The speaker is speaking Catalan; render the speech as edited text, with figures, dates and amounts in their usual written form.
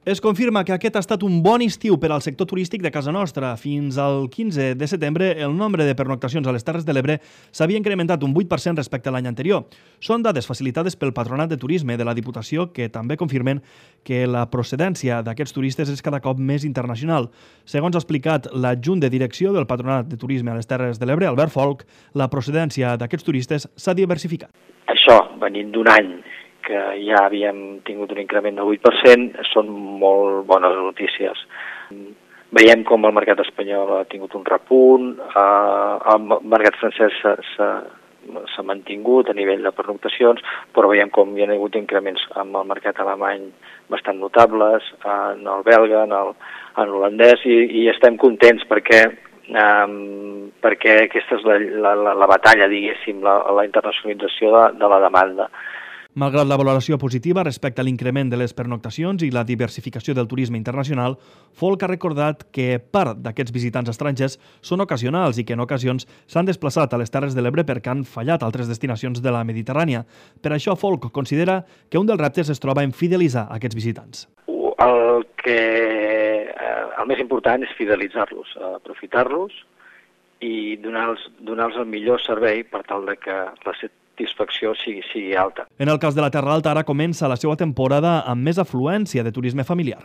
Es confirma que aquest ha estat un bon estiu per al sector turístic de casa nostra. Fins al 15 de setembre, el nombre de pernoctacions a les Terres de l'Ebre s'havia incrementat un 8% respecte a l'any anterior. Són dades facilitades pel Patronat de Turisme de la Diputació, que també confirmen que la procedència d'aquests turistes és cada cop més internacional. Segons ha explicat l'adjunt de direcció del Patronat de Turisme a les Terres de l'Ebre, Albert Folch, la procedència d'aquests turistes s'ha diversificat. Això, venint d'un any que ja havíem tingut un increment del 8%, són molt bones notícies. Veiem com el mercat espanyol ha tingut un repunt, el mercat francès s'ha mantingut a nivell de pernoctacions, però veiem com hi ha hagut increments amb el mercat alemany bastant notables, en el belga, en l'holandès, i estem contents perquè aquesta és la batalla, diguéssim, la internacionalització de la demanda. Malgrat la valoració positiva respecte a l'increment de les pernoctacions i la diversificació del turisme internacional, Folch ha recordat que part d'aquests visitants estrangers són ocasionals i que en ocasions s'han desplaçat a les Terres de l'Ebre perquè han fallat altres destinacions de la Mediterrània. Per això Folch considera que un dels reptes es troba en fidelitzar aquests visitants. El més important és fidelitzar-los, aprofitar-los i donar-los el millor servei per tal de que la satisfacció sigui alta. En el cas de la Terra Alta, ara comença la seva temporada amb més afluència de turisme familiar.